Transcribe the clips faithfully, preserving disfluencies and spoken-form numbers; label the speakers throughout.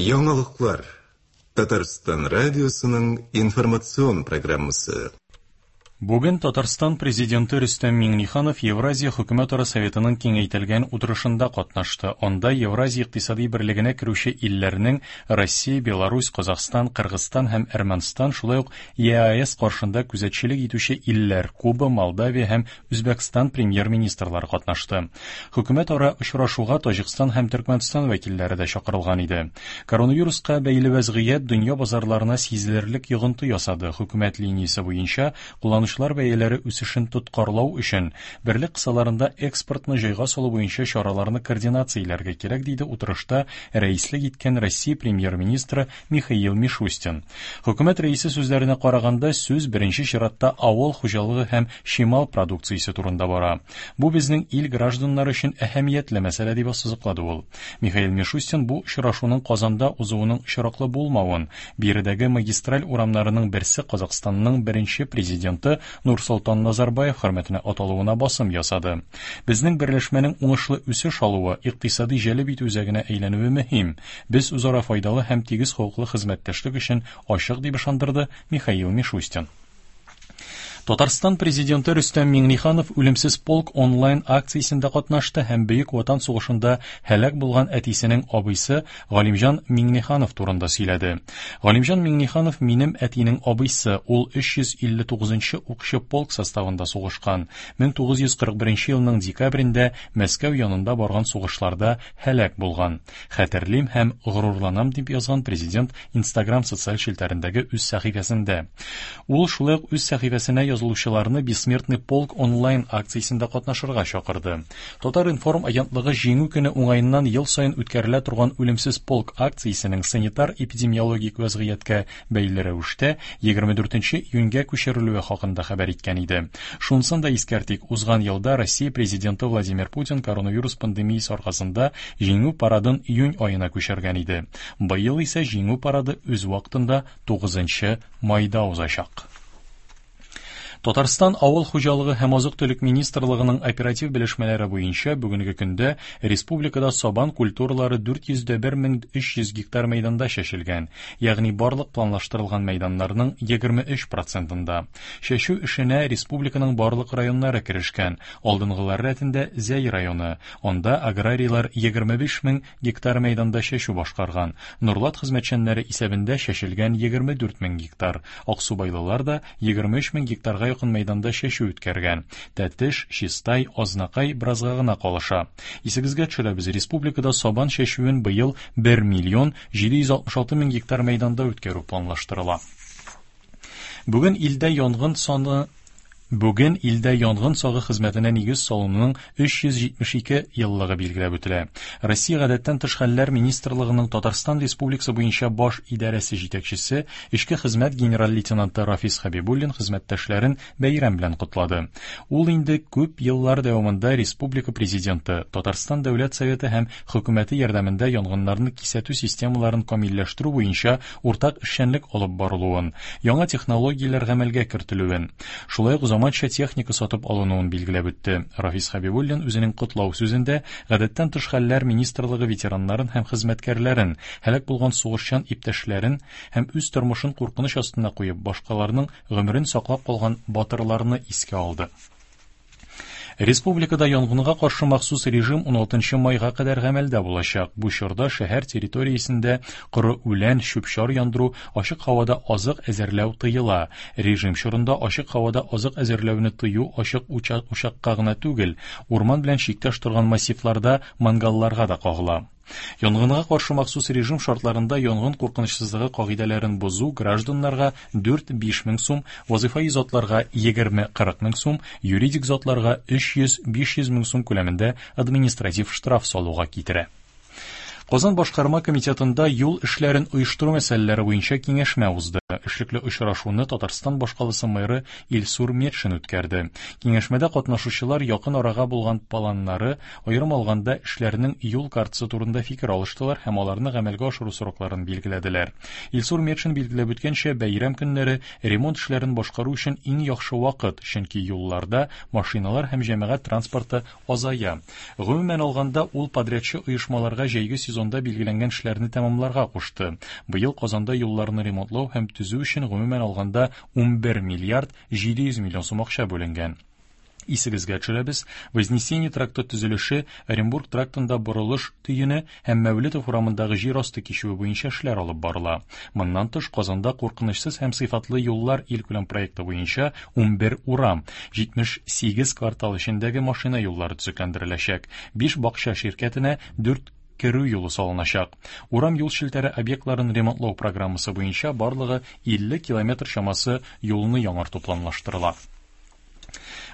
Speaker 1: Яңалыклар. Татарстан радиосының информацион программасы.
Speaker 2: Бүген Татарстан президенты Рөстәм Миңнеханов Евразия хөкүмәтара советының киңәйтелгән утырышында катнашты. Анда Евразия икътисади берлегенә керүче илләрнең Россия, Беларусь, Казахстан, Кыргызстан һәм Әрмәнстан, шулай ук ЕАЭС каршында күзәтчелек итүче илләр Куба, Молдавия һәм Үзбәкстан премьер-министрлары катнашты. Хөкүмәтара очрашуга Таҗикстан һәм Төркмәнстан вәкилләре дә чакырылган иде. Коронавируска бәйле вәзгыять дөнья базарларына сизелерлек йогынты ясады. Хөкүмәт линиясе буенча кулланучылар бәяләре үсешен тоткарлау өчен берлек кысаларында экспортны җайга салу буенча чараларны координацияләргә кирәк, диде утырышта рәислек иткән Россия премьер-министры Михаил Мишустин. Хөкүмәт рәисе сүзләренә караганда, сүз беренче чиратта авыл хуҗалыгы һәм чимал продукциясе турында бара. Бу безнең ил гражданнары өчен әһәмиятле мәсьәлә, дип ассызыклады ул. Михаил Мишустин бу очрашуның Казанда узуының очраклы булмавын, биредәге магистраль урамнарының берсе Казахстанның беренче президенты Нурсолтан Назарбаев хөрмәтенә аталуына басым ясады. Безнең берләшмәнең уңышлы үсеш алуы, икътисади җәлеп итү үзәгенә әйләнүе мөһим. Без үзара файдалы һәм тигез хокуклы хезмәттәшлек өчен ачык, дип ышандырды Михаил Мишустин. Татарстан президенты Рөстәм Миңнеханов Үлемсез полк онлайн акциясендә катнашты һәм Бөек Ватан сугышында һәлак булган әтисенең абыйсы Галимҗан Миңнеханов турында сөйләде. Галимҗан Миңнеханов минем әтинең абыйсы, ул өч йөз илле тугызынчы укчы полк составында сугышкан. мең тугыз йөз кырык беренче елның декабрендә Мәскәү янында барган сугышларда һәлак булган. Хәтерлим һәм горурланам, дип язган президент Instagram социаль челтәрендәге үз сәхифәсендә. Ул шулай ук үз сәхифәсенә язылучыларны Бессмертный полк онлайн акциясендә катнашырга чакырды. Татар-информ агентлыгы Җиңү көне уңаеннан ел саен үткәрелә торган Үлемсез полк акциясенең санитар-эпидемиологик вәзгыятькә бәйле рәвештә егерме дүртенче июньгә күчерелүе хакында хәбәр иткән иде. Шунысын да искәртик, узган елда Россия президенты Владимир Путин коронавирус пандемиясе аркасында Җиңү парадын июнь аена күчергән иде. Быел исә Җиңү парады үз вакытында тугызынчы майда узачак. Татарстан Авыл хуҗалыгы һәм азык-төлек министрлыгының оператив белешмәләре буенча бүгенге көндә республикада сабан культуралары дүрт йөз дә бер мең өч йөз гектар мәйданда чәчелгән, ягъни барлык планлаштырылган мәйданнарның егерме өч процентында. Чәчү эшенә республиканың барлык районнары керешкән. Алдынгылар рәтендә Зәй районы. Анда аграрийлар егерме биш мең гектар мәйданда чәчү башкарган. Нурлат хезмәтчәннәре исәбендә чәчелгән егерме дүрт мең гектар. Аксубайлылар да егерме өч мең гектарга якын мәйданда чәчү үткәргән. Тәтеш, Чистай, Азнакай беразга гына калыша. Исегезгә төшерәбез, республикада сабан чәчүен быел бер миллион җиде йөз алтмыш алты мең гектар мәйданда үткәрү планлаштырыла. Бүген илдә янгын саны Бүген илдә янгын сагы хезмәтенә нигез салынуның өч йөз җитмеш ике еллыгы билгеләп үтелә. Россия гадәттән тыш хәлләр министрлыгының Татарстан Республикасы буенча баш идарәсе җитәкчесе, эчке хезмәт генерал-лейтенанты Рафис Хәбибуллин хезмәттәшләрен бәйрәм белән котлады. Ул инде күп еллар дәвамында Республика президенты, Татарстан Дәүләт Советы һәм хөкүмәте ярдәмендә янгыннарны кисәтү системаларын камилләштерү буенча уртак эшчәнлек алып барылуын, яңа технологияләр гамәлгә кертелүен, шулай ук заманча техника сатып алынуын билгеләп үтте. Рафис Хәбибуллин үзенең котлау сүзендә гадәттән тыш хәлләр министрлыгы ветераннарын һәм хезмәткәрләрен, һәлак булган сугышчан иптәшләрен һәм үз тормышын куркыныч астына куеп, башкаларның гомерен саклап калган батырларны искә алды. Республикада янгынга каршы махсус режим уналтынчы майга кадәр гамәлдә булачак. Бу чорда шәһәр территориясендә коры үлән, чүп-чар яндыру, ачык һавада азык әзерләү тыела. Режим чорында ачык һавада азык әзерләүне тыю ачык учакка гына түгел, урман белән чиктәш торган массивларда мангалларга да кагыла. Янгынга каршы махсус режим шартларында янгын куркынычсызлыгы кагыйдәләрен бозу гражданнарга дүрт-биш мең сум, вазифаи затларга егерме-кырык мең сум, юридик затларга өч йөз-биш йөз мең сум күләмендә административ штраф салуга китерә. Казан башкарма комитетында юл эшләрен оештыру мәсьәләләре буенча киңәшмә узды. Эшлекле очрашуны Татарстан башкаласы мэры Илсур Метшин үткәрде. Киңәшмәдә катнашучылар якын арага булган планнары, аерым алганда эшләрнең юл картасы турында фикер алыштылар һәм аларны гамәлгә ашыру срокларын билгеләделәр. Илсур Метшин билгеләп үткәнчә, бәйрәм көннәре ремонт эшләрен башкару өчен иң яхшы вакыт, чөнки юлларда машиналар һәм җәмәгать транспорты азая. Гомумән алганда, ул подрядчы оешмаларга җәйге сезон сезонда билгеләнгән эшләрне тәмамларга кушты. Быел Казанда юлларны ремонтлау һәм төзү өчен гомумән алганда унбер миллиард җиде йөз миллион сум акча бүленгән. Исегезгә төшерәбез, Вознесение тракты төзелеше, Оренбург трактында борылыш төене һәм Мәүлетов урамындагы җир асты кичүе буенча эшләр алып барыла. Моннан тыш, Казанда куркынычсыз һәм сыйфатлы юллар илкүләм проекты буенча унбер урам, җитмеш сигез квартал эчендәге машина юллары төзекләндереләчәк. Биш бакча ширкәтенә дүрт керү юлы салыначак. Урам юл челтәре объектларын ремонтлау программасы буенча барлыгы илле километр чамасы юлны яңарту планлаштырыла.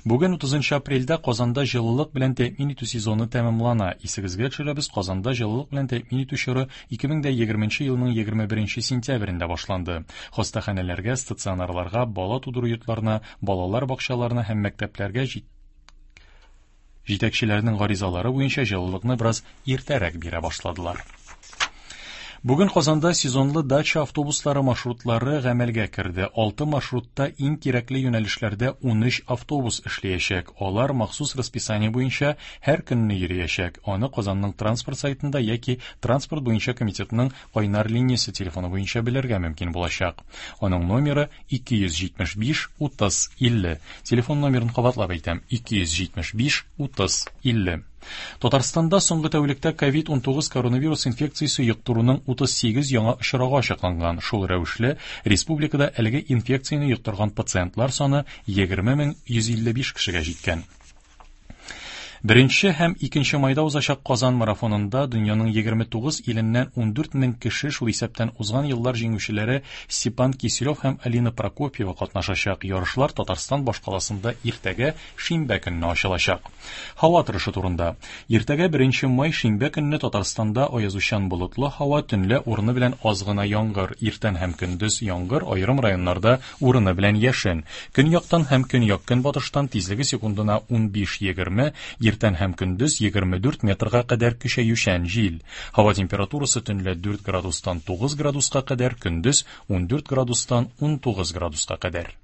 Speaker 2: Бүген утызынчы апрельдә Казанда җылылык белән тәэмин итү сезоны тәмамлана. Исегезгә төшерәбез, Казанда җылылык белән тәэмин итү чоры ике мең дә егерменче елның егерме беренче сентябрендә башланды. Хастаханәләргә, стационарларга, бала тудыру йортларына, балалар бакчаларына һәм мәктәпләргә җит-, җитәкчеләрнең гаризалары буенча җылылыкны бераз иртәрәк бирә башладылар. Бүген Казанда сезонлы дача автобуслары маршрутлары гамәлгә керде. Алты маршрутта иң кирәкле юнәлешләрдә унөч автобус эшләячәк. Алар махсус расписание буенча һәр көнне йөриячәк. Аны Казанның транспорт сайтында яки транспорт буенча комитетның кайнар линиясе телефоны буенча белергә мөмкин булачак. Аның номеры ике йөз җитмеш биш утыз илле. Телефон номерын кабатлап әйтәм: ике йөз җитмеш биш утыз илле. Татарстанда соңгы тәүлектә ковид унтугыз коронавирус инфекциясе йоктыруның утыз сигез яңа очрагы ачыкланган. Шул рәвешле республикада әлеге инфекцияне йоктырган пациентлар саны егерме мең йөз илле биш кешегә җиткән. Беренче һәм икенче майда узачак Казан марафонында дөньяның егерме тугыз иленнән ундүрт мең кеше, шул исәптән узган еллар җиңүчеләре Степан Киселев һәм Алина Прокопьева катнашачак. Ярышлар Татарстан башкаласында иртәгә шимбә көнне ачылачак. Һава торышы турында. Иртәгә беренче май шимбә көнне Татарстанда аязучан болытлы һава, төнлә урыны белән аз гына яңгыр, иртән һәм көндез яңгыр, аерым районнарда урыны белән яшен. Көньяктан һәм көньяк-көнбатыштан тизлеге секундына унбиш-егерме, иртән һәм көндез егерме дүрт метрга кадәр көчәючән җил. Һава температурасы төнлә дүрт градустан тугыз градуска кадәр, көндез ундүрт градустан унтугыз градуска кадәр.